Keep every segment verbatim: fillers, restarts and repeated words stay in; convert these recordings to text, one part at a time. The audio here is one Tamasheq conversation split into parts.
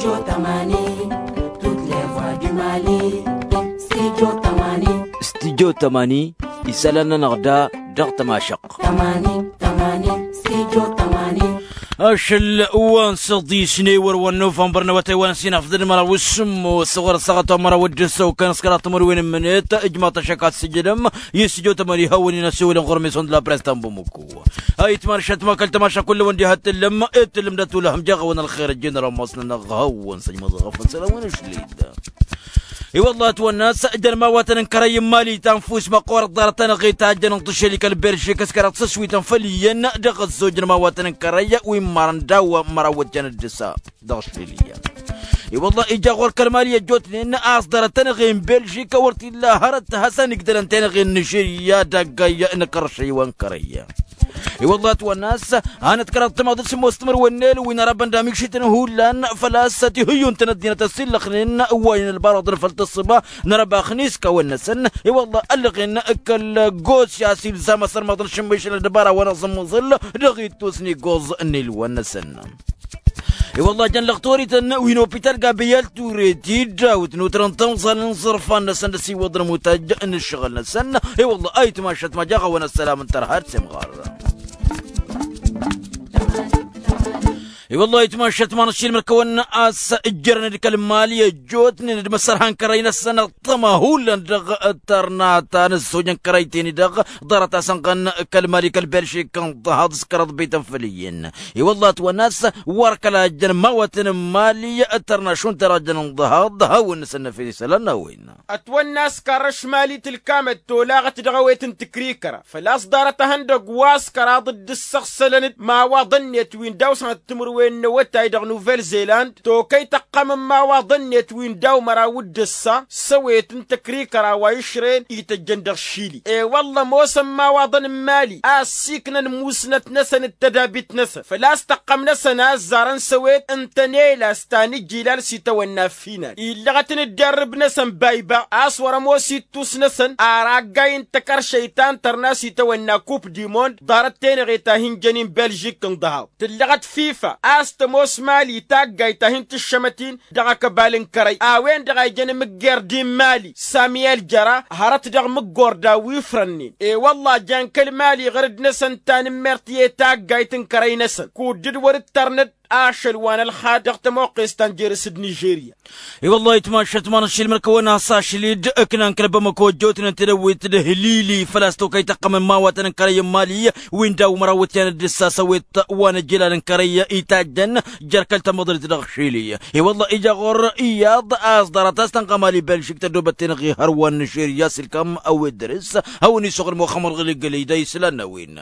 Studio tămani, studio tămani, isălan-nănăɣ da dăɣ-tămašăɣt. Ašăl wa n-săḍis n-ewăr wa n-nuvănbăr n-awătay wa n-sinăfḍăd măraw s-sǝmmos ɣur-săɣăt wa măraw d-ǝssăw kăn s-kăraḍ timǝrwen n-imǝnet. Ǝjmaḍ-t ašăk ad-t-sǝjǝdăm i-studio tămani hawăn-in-ăsiwǝlăn ɣur-meson d-la press ta n-bamăko. Ayǝtman šăt ma kăl-tamaša kull-wăn diha t-tǝllăm. T-tǝllăm d-atulăhăm jaɣ-awăn ălxer ăjjeen rămmas-nănăɣ hawăn-săjmăḍ ɣăfăn sălăwăn ašled. I-wăllah ătwănna a-s jăn imawatăn n-kărăy n-imali ta n-fus măqqoorăt ḍarăt-anăɣ i-tajjăn n-tišăli kăl-belžik s-kăraḍ s-ăswităn făll-iyyăn. Dăɣ-ăzzojăn imawatăn n-kărăy wi n-imarăn daw-măraw wăt jăn dd-ǝssa dăɣ-ašlel iyyăn. I-wăllah ija ɣur-kăl-imali ăjjootnen a-s ḍarăt-anăɣ i-n belžik wăr t-illa hărăt hasăn-igdălăn tenăɣe n-nižirya d-aggay n-kăršăy wa n-kărăy. I-wăllah ătwănna a-s hanăt-kăraḍ timaḍ d-sǝmmos timǝrwen n-elwin arabăn d-amikšităn hullan făl-a-s tihǝyyunt n-ăddinăt ăssillăxnen ǝwwaynen ălbarăḍăn făll-tǝssǝba n-arăbax n-iskawăn-năsăn. I-wăllah ăllăɣen kăl-gosya s-ilzam asărmaḍ n-ašǝmmišăn ăddăbara wa n-aẓǝmmǝẓǝl dăɣ-ittus n-igoẓ n-ilwăn-năsăn. I-wăllah jăn lăɣtorităn wi n-opital gabriyel ture tidawt n-utrăn tamẓal n-iẓărfan-năsăn d-ăsiwăḍăn mutaj n-ǝššăɣǝl-năsăn. I-wăllah ayǝtmašăt ma jaɣ-awăn ăssălam n-tărha d-semɣar. I-wăllah ayǝtmašăt ma n-ašilmăr kăwăn a-s ǝjjărăn d-kăl-imali ăjjootnen d-imǝssărha n-kărăy-năsăn ăṭṭăma hullan dăɣ-tărna ta n-ăzzoj n-kărăy-ten-i-dăɣ ḍarăt-asăn ɣăn kăl-imali kăl-belžik n-ḍahaḍ s-kăraḍ bităn făll-iyyăn. I-wăllah ătwănna a-s wăr kăla jăn imawătăn n-imali d-tărna šund tărajăn n-ḍahaḍ hawăn-năsăn n-efes isălan n-a-wen. Ătwănna a-s karrăš imali tǝlkamăt tolaɣăt dăɣ-ewet n-tǝkrikăra făl-a-s ḍarăt ehăndăgg wa s-kăraḍ dd-ǝssăɣsălăn-dd imawaḍăn-net wi n-daw-săn timǝrwen n-awătay dăɣ-nuvel-zeland tokăy tăqqăm n-imawaḍăn-net wi n-daw-măraw d-ǝssa s-ewet n-tǝkrikăra wa išrăyăn ităjjăn dăɣ-šili. E-wălla ămoosăn imawaḍăn n-imali a ăssiiknăn musnăt-năsăn d-tădabit-năsăn făl-a-s tăqqăm-năsăn a ăzzarăn s-ewet n-tănela s-ta n-ijilal s-itawănna final illăɣăt n-ǝdderrǝb-năsăn bayba a-s wăr-ămoos ittus-năsăn ar aggay n-takăršăy ta n-tărna s-itawănna kup dimond ḍarăt tenăɣe ta hin-jăn-in belžik n-dăhaḍ tǝllăɣăt fifa a-s tămoos mali taggayt ta hin-tǝššămăt-in dăɣ-akăbal n-kărăy a-wen-dăɣ a ijăn imǝgger d-in mali samiyel jăra hărăt dăɣ-imǝggor daw-ifrănnen. E-wălla jan kăl-mali ɣǝr-dd-năsăn tanǝmmert i-taggayt n-kărăy-năsăn kud-dd wăr-ǝttărnăd ašăl wa n-ălxad dăɣ-tămoqqes ta n-jer-s d-nižerya. I-wăllah ayǝtmašăt ma n-ašilmăr kăwăn-as ašli-dd ǝknan kăl-bamăko ăjjootnen tedăwwit d-ihlili făl-a-s tokăy tăqqăm n-imawatăn n-kărăy n-mali wi n-daw-măraw ǝtyan d-ǝssa s-ewet wa n-ăjjilal n-kărăy itajjăn jer-kăl-tamăḍrit dăɣ-šili. I-wălla ija ɣur-iyyăḍ a-s ḍarăt a-s tănɣa mali belžik tăddobăt tenăɣ-i hărwa n-nižerya s-ilkam ăwwed dăr-s hawăn-isuɣǝl muxămmăr ɣǝl igălăy da islan n-a-wen.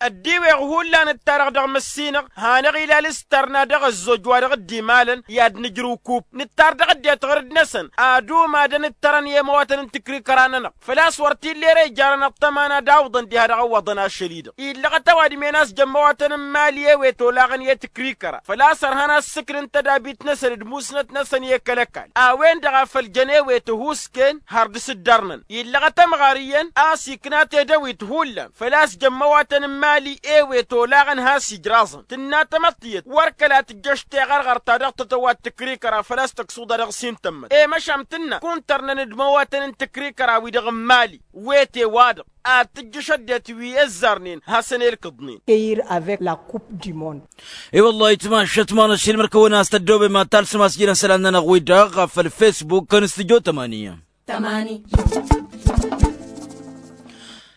Ăddiweɣ hullan ǝttarăɣ dăɣ-măssinăɣ hanăɣ-ilal s-tărna dăɣ-ăzzoj wa dăɣ-dd-imalăn i-ad-nǝjrǝw kup nǝttar dăɣ-ăddinăt ɣur-dd-năsăn ad-umadăn ǝttărăn i-ămăwatăn n-tǝkrikăra-nănăɣ făl-a-s wăr t-illa ere ijarăn ăṭṭăma n-ad-awǝḍăn diha dăɣ-ăwwăḍăn ašăl-i-dăɣ illăɣăt ăwadǝm-en a-s jăn ămăwatăn n-mali i-ewet olaɣăn i-tǝkrikăra făl-a-s ărhan ad-sǝknǝn tădabit-năsăn d-musnăt-năsăn i-kăl-ăkall a-wen-dăɣ a făl jăn ewet ăhuusken har dăr-s dd-ărnăn illăɣăt ămɣar iyyăn a-s ikna tedăwit hullan făl-a-s jăn ămăwatăn n-mali ewet olaɣăn has-ijraẓăn tǝnna tamăḍt tiyyăt wăr kăla tǝjjăš teɣărɣărt ta dăɣ-tătăwat tǝkrikăra făl-a-s tăksuḍa dăɣ-s hin-tămmăt i-măšan tǝnna kunta ărnăn d-imăwatăn n-tǝkrikăra-wi-dăɣ n-mali wete-wa-dăɣ ad-tǝjjǝš ăddinăt wi ăzzarnen hasăn-elkǝḍnen. Ăyr avec la coupe du monde. I-wăllah ayǝtmašăt ma n-ašilmăr kăwăn-as tăddoobem ad-talsǝm a-s jilăn isălan-nănăɣ-wi-dăɣ ɣef ălfesbuk n-studyo tămani.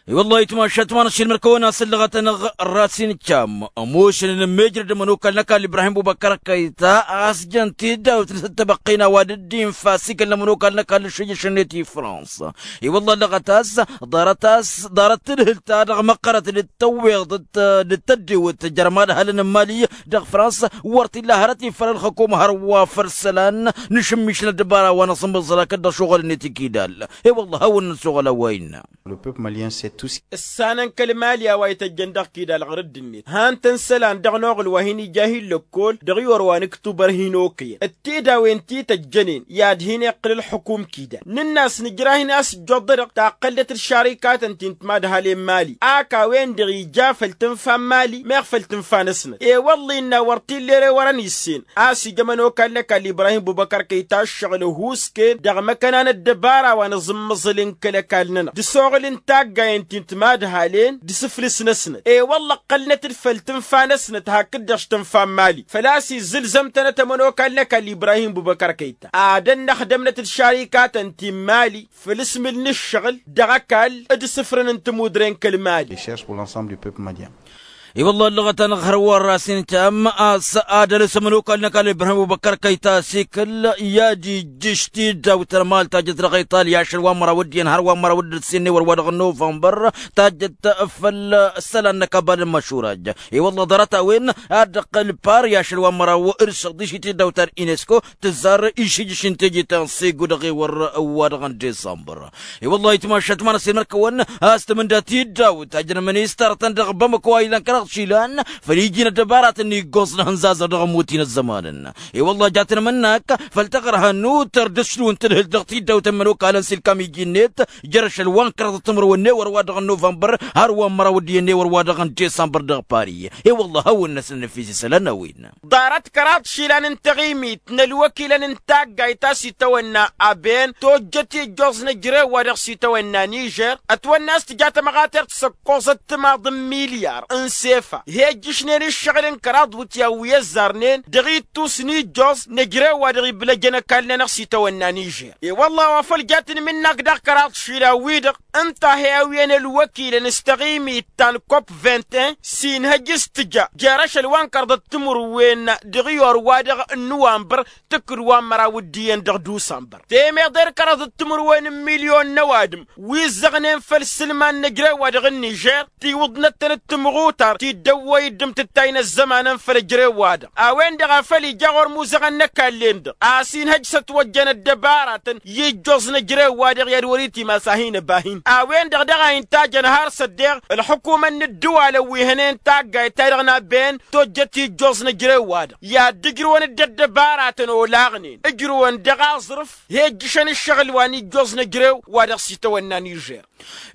I-wăllah ayǝtmašăt ma n-ašilmăr kăwăn-as ǝllăɣăt-anăɣ rasin cam ămošăn n-ămmejrăd ămănokal n-ăkall ibrahim bubăkkăr ăkkăyta a-s jăn tiddawt n-săttăbăqqina wa dd-infa s-ikăl n-ămănokal n-ăkall n-ašăjjăš-net i-fransa. I-wălla ăllăɣăt a-s ḍarăt-as ḍarăt tǝdhǝlt-ta-dăɣ măqqărăt d-tăwweḍ d-tăddiwǝt jer-imadhălăn n-imali dăɣ-fransa wăr t-illa hărăt ifăl ălxăkum hărwa făll-isălan n-ašǝmmiš n-ăddăbara wa n-aẓǝmmǝẓăl hakd dăɣ-ašuɣǝl-net ikidal. I-wălla hawăn-năsoɣăl a-wa innă. Le peuple malien sait Ǝssanăn kăl-mali a-wa ităjjăn dăɣ-kidal ɣur-dd-net han-tăn isălan dăɣ-noɣǝl wa hin-ija hi-lăkkol dăɣ-iwăr wa n-ǝktubăr hin-okăyăn ăttidawen ti tăjjănen i-ad-hin-iqqǝl ǝlxǝkum kidal. Nǝnn'-as nǝjrah-in a-s ǝjjoḍ-dăɣ taqqălnăt d-šarikatăn ti n-timadhalen mali ak a-wen-dăɣ ija făll-tǝnfa n-mali meɣ făll-tǝnfa-năsnăt. I-wălla innă wăr t-illa ere wărăn issen a-s ija ămănokal n-ăkall ibrahim bubăkăr kăyta ǝššăɣǝl ăhuusken dăɣ-imăkăna n-ăddăbara wa n-aẓǝmmăẓǝl n-kăl-ăkall-nănăɣ d-asoɣǝl n-taggayen ti n-timadhalen d-asǝflǝs-năsnăt. I-wălla ǝqqălnăt-dd făll-tǝnfa-năsnăt hakd-dăɣ s-tǝnfa n-mali făl-a-s izzǝlzăm-tănăt ămănokal n-ăkall ibrahim bubăkăr kăyta ad-ănnăxdămnăt d-šarikatăn ti n-mali făll-asmǝl n-ǝššăɣǝl dăɣ-ăkall d-asǝfrǝn n-tămudre n-kăl-mali. Recherche pour l'ensemble du peuple malien. I-wălla ăllăɣăt-anăɣ hărwa ărrasăn itam a-s ad-ălăs ămănokal n-ăkall ibrahim bubăkăr kăyta asikǝl i-ad-ijjǝš tiddawt n-amal tajjăt dăɣ-iṭalya ašăl wa n-măraw d-iyyăn hărwa n-măraw d-ǝssin n-ewăr wa dăɣ-nuvănbăr tajjăt făll-isălan n-ăkall n-măšuraj. I-wălla ḍarăt-a-wen ad-dd-ăqqǝl pari ašăl wa n-măraw d-săḍiš i-tiddawt ta d-unesco tǝzzar išijǝš n-teje ta n-segu dăɣ-ewăr wa dăɣ-n disămbăr. I-wălla-hi tmašat ma n-ăssin măr-kăwăn a-s tǝmǝnda tiddawt tajjăn ministăr-tăn dăɣ-bamăko a ilăn kăraḍ išilan făll-iji n-ăddăbaratăn iggoẓ n-ahǝnzazăɣ dăɣ-ămmut-in ăzzămanăn. I-wălla-hi ja tăn-mǝnnak făll-taɣărha n-utăr d-ăšlun tǝlhǝl dăɣ-tiddawt n-imănokalăn s-ilkam iji-net jer-ašăl wa n-kăraḍăt timǝrwen n-ewăr wa dăɣ-nuvănbăr har wa n-măraw d-iyyăn n-ewăr wa dăɣ-n disămbăr dăɣ-pari. I-wălla-hi hawăn-năsnăn ăfis isălan a-wen. Ḍarăt kăraḍ išilan n-taɣimit n-ălwăkilăn n-taggayt a-s itawănna aben tojjăt ijjoẓ n-ejrew wa dăɣ-s itawănna nižer ătwănna a-s tǝja tămɣatert s-ăkkoẓăt timaḍ n-milyar n-sefa he-ǝjjǝšnen ǝššăɣǝl n-kăraḍ wǝtyan wi ăzzarnen dăɣ-ittus n-ijjoẓ n-ejrew wa dăɣ-iblăjăn ăkall-nănăɣ s-itawănna nižer. I-wălla-hi wa făl ja tǝnmǝnnak dăɣ-kăraḍ išilan-wi-dăɣ ǝnta a he-awǝyăn ălwăkilăn s-taɣimit ta n-kop vingt-un s-inhăj s-tǝja jer-ašăl wa n-kărḍăt timǝrwen dăɣ-iyor wa dăɣ-nǝwanbăr tǝkkǝd wa n-măraw d-iyyăn dăɣ-dusănbăr temeḍe d-kărăḍ d-timǝrwen n-milyon n-ăwadǝm wi ǝzzăɣnen făll-isǝlman n-ejrew wa dăɣ-nižer tiwǝḍnăt-tăn d-timɣutar ti dd-ăwwăy dd-imtǝttay n-ăzzămanăn făll-ejrew-wa-dăɣ a-wen-dăɣ a făl ija ɣur-imuzăɣăn n-ăkall-en-dăɣ a-s inhăj s-ătwăjjăn ăddăbaratăn i-ijjoẓ n-ejrew-wa-dăɣ i-ad-wăr-itimasa hin-ăba hin-a-wen-dăɣ daɣ a intăjăn har s-ăddeɣ ălxukumăn n-ǝddǝwalăn wi hănen taggayt-ta-dăɣ n-aben tojjăt ijjoẓ n-ejrew-wa-dăɣ i-ad-dd-ǝjrǝwăn dd-ăddăbaratăn olaɣnen ǝjrǝwăn dăɣ-aẓrǝf he-ǝjjǝšăn ǝššăɣǝl wa n-ijjoẓ n-ejrew wa dăɣ-s itawănna nižer.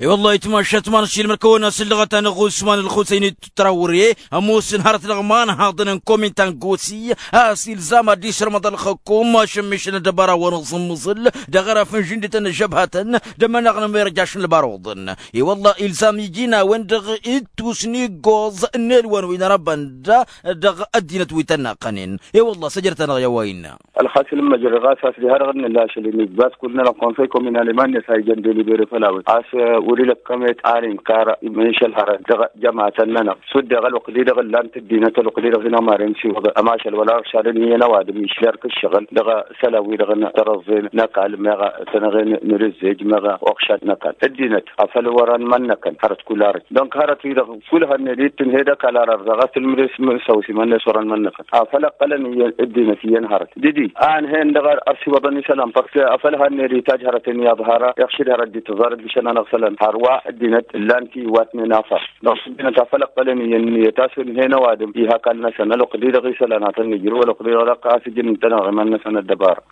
I-wăllah itmašat ma n-ašilmăr kăwăn-asǝllăɣăt-anăɣ usman ălxusăyni tărawre ămoosăn hărăt dăɣ-iman haḍăn n-komin ta n-gosi a-s ilzam ad-dd-išrămăḍ ălxăkum ašămmišăn ăddăbara wa n-aẓǝmmǝẓǝl dăɣ-araf n-žǝndităn n-ăžžăbhatăn d-ămăneɣ n-ămirăj ašăl n-ăbaruḍăn. I-wăllah ilzam iji n-a-wen-dăɣ ittus n-iggoẓ n-elwan wi n-arăbăn da dăɣ-ăddinăt wi tăn-naqqănen. I-wăllah săjdăt-anăɣ i-a-wa innă. Ălxasǝl n-măjrăɣ a-s a-s diha-dăɣ n-nǝlla ašăl-in ijbas kull-nănăɣ konsăy kominal iman-net a ijăn delibere făll-a-wen a-s wăr-ila ăkkămet ar inkar imǝnšăl hărăt dăɣ-jămatăn-nănăɣ s-dd-dăɣ ălwăqq-di-dăɣ ǝllan-t ăddinăt ălwăqq-di-dăɣ hin-ămarem s-iwăḍ ămašal wăla ăršadăn iyyăn ăwadǝm išler kǝššăɣǝl dăɣ-isălan-wi-dăɣ n-tărăẓẓen n-ăkall meɣ tănăɣen n-rǝzzej meɣ uɣšad n-ăkall ăddinăt afăl wărăn mănnăkăn hărăt kull arăt dănk hărăt-wi-dăɣ kull hănnen ittǝnhed ăkall ar ărzaɣ a-s tǝlmǝd-s mǝnsăwǝs imănnes wărăn mănnăkăn afăl ăqqălăn iyyăn ăddinăt iyyăn hărăt didi a ǝnhen dăɣ-ărsiwăḍăn isălan părs afăl hanned itaj hărăten i-aḍhara iɣšǝd hărăt dd-tǝẓar ǝlbǝšăn-anăɣ isălan hărwa ăddinăt ǝllan-t iwatnen afăr dăɣ-s ăddinăt afăl ăqqălăn iyyăn ǝnniyăt a-s ǝnhen ăwadǝm iha ăkall-năsăn ălwăqq-di-dăɣ isălan ad-tăn-nǝjrǝw ălwăqq-di-dăɣ dăɣ-kăs ǝjǝn ǝntăneɣ iman-năsăn ăddăbara.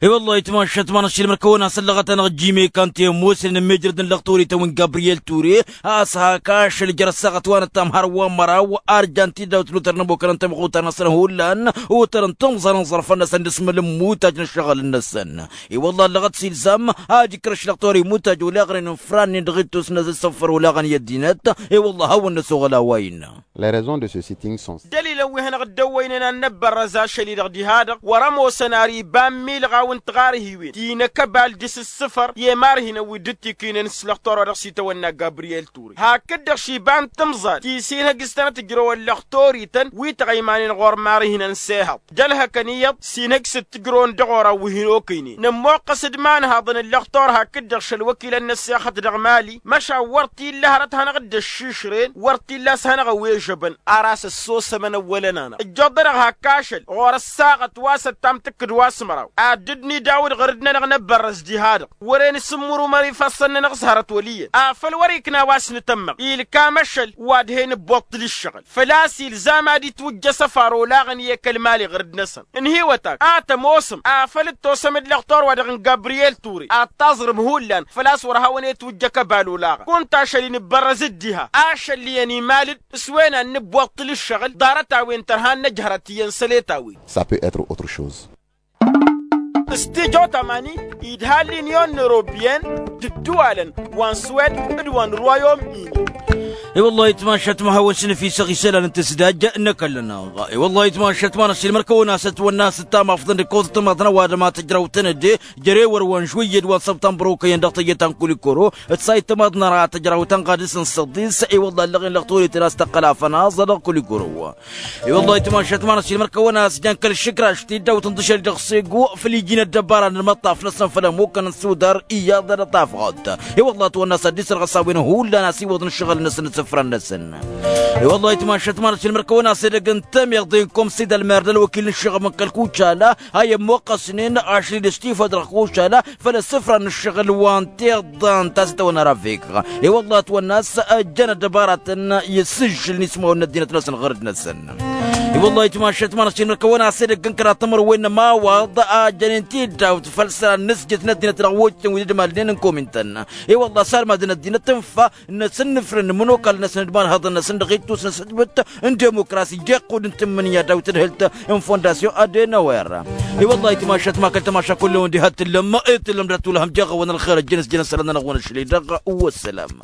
I-wăllah itmašat ma n-ašilmăr kăwăn-asăllăɣăt-anăɣ jime kante ămoosnen n-mejrăd n-lăxtor itawǝn gabriyel ture a-s hak ašăl jer-ăssaɣăt wa n-ăttam har wa n-măraw arjan tidawt lutăr n-ămokăn n-tamăxutar-năsăn hullan otărăn timẓal n-iẓărfăn-năsăn d-asmăl n-imutaj n-ǝššăɣǝl-năsăn. I-wăllah ăllăɣăt s-ilzam ad-ikrăš lăxtor imutaj olaɣnen n-frannen dăɣ-ittus n-asǝffăr olaɣăn i-ăddinăt. I-wăllah hawăn-năsoɣăl a-wa innă. Les raisons de ce sitting sont. Dălilăn wi hanăɣ-dd-ăwwăynen ad-năbbărrăz ašăl-i-dăɣ diha-dăɣ wăr-ămoosăn ar iba n-milɣaw n-tiɣarhiwen ti n-akăbal d-isǝssǝfăr i-imarhinăn wi dd-ǝttikinăn s-lăxtor wa dăɣ-s itawănna gabriyel ture hakd-dăɣ šiba n-timẓal ti s-inhăj s-tănăt-ǝjrăwăn lăxtor-ităn wi tăɣăymanen ɣur-imarhinăn s-ehăḍ d-ălhăkăn iyyăḍ s-inhăj s-dd-tǝjrăwăn dăɣ-oraw wi hin-okăynen nămmoqqăs d-imanhaḍăn n-lăxtor hakd-dăɣ šăl wăkilăn n-ăssexăt. dăɣ-mali măšan wăr t-illa hărăt hanăɣ-dd-ăššišren wăr t-illa a-s hanăɣ-ăwežăbăn. Ar a-s ăssosămăn ăwwălăn-anăɣ ǝjjoḍ-dăɣ hak ašăl ɣur-ăssaɣăt wa s-ăttam tǝkkǝd wa s-măraw ad-dd-nidawǝd ɣur-dd-nănăɣ năbbărrăs diha-dăɣ wăren s-ǝmmǝrumăr ifassăn-nănăɣ s-hărăt wăl' iyyăn afăl wăr-ikna wa s-nǝtămmăɣ ilkam ašăl wa d-he-nǝbbuḍ tǝl-ǝššăɣǝl. Făl-a-s ilzam ad-itwǝjjăs ăfar olaɣăn i-ekăl mali ɣur-dd-năsăn ǝnhǝywăt-ak a tămoosăm afăl dd-tosăm d-lăxtor-wa-dăɣ n-gabriyel ture ad-taẓrǝm hullan făl-a-s wăr hawăn-e-twǝjjăk ăbal olaɣăn kunta ašăl-i nǝbbărrăz d-diha ašăl iyyăn imal-dd s-wen ad-nǝbbuḍ tǝl-ǝššăɣǝl ḍarăt-a-wen tărha n-năjhărăt iyyăn săl-e-tawen. S-a pe être autre chose. S-tijo tamani idha l-inyon n-europiyăn d-ǝddǝwalăn wa n-swed d-wa n-rwayom-ini. I-wăllah itmašat ma hawăn-s năfisăɣ isălan n-tǝsdaj n-ăkall-năɣ. I-wăllah itmašat ma năsilmăr kăwăn-as ătwănna a-s ǝttam afḍăn d-ǝkkoẓăt tămaḍna wa dăma tăjrawtăn-dd jere wăr-wăn žwǝyyăd wa n-săbtănbăr okăyăn dăɣ-tăyyăt ta n-kulikoro d-sayt tămaḍna ra tăjrawtăn ɣadǝs n-săḍis. I-wăllah ăllăɣen lăɣ toletăn a-s tăqqăl afănaẓ dăɣ-kulikoro. I-wăllah itmašat ma năsilmăr kăwăn-as jăn kăl-išǝkraš tiddawt n-dăšăl dăɣ-sego făl iji n-ăddăbara n-ălmăṭṭaf-năsăn făll-ămmukăn n-sudar iyyăḍ dăɣ-tafɣăḍt. I-wăllah ătwănna s-ad-dd-isărɣăs a-wen hullan a-s iwwăḍ n-ǝššăɣǝl-năsăn d-isǝfran-năsăn. I-wăllah itmašat ma năsilmăr kăwăn-as edăgg n-tămiḍe n-komsi d-ălmer d-ălwăkil n-ǝššăɣăb n-kăl-kucala a i-ămmoqqăsnen ašli d-ăštifăd dăɣ-kucala făll-isǝfran n-ǝššăɣǝl wa n-tiḍa n-tasǝtawăn ara vek. I-wăllah ătwănna a-s ăjjăn ăddăbaratăn i-sǝžžǝl n-ismawăn n-ăddinăt-năsăn ɣur-dd-năsăn. I-wăllah itmašat ma năsilmăr kăwăn-as edăgg n-kăraḍ timărwen n-ămawaḍ a jănen tiddawt făll-isălan n-asjăt n-ăddinăt dăɣ-wojtăn wi d-ădmalnen n-komintăn. I-wăllah sarmadăn ăddinăt ǝnfa n-asǝnnǝfrǝn n-imănokal-năsăn d-imanhăḍăn-năsăn dăɣ-ittus n-asǝjbǝt n-demokrasi jeqqud n-tǝmmǝnǝya daw-tǝdhǝlt n-fondasyon adenawer. I-wăllah itmašat ma kăl-tămaša kull-ewăn diha t-tǝllăm i-tǝllăm dat-ulhăm jeɣ-awăn ălxer ăjjăn s-jăn isălan-nănăɣ-wăn ašli dăɣ-wăssălam.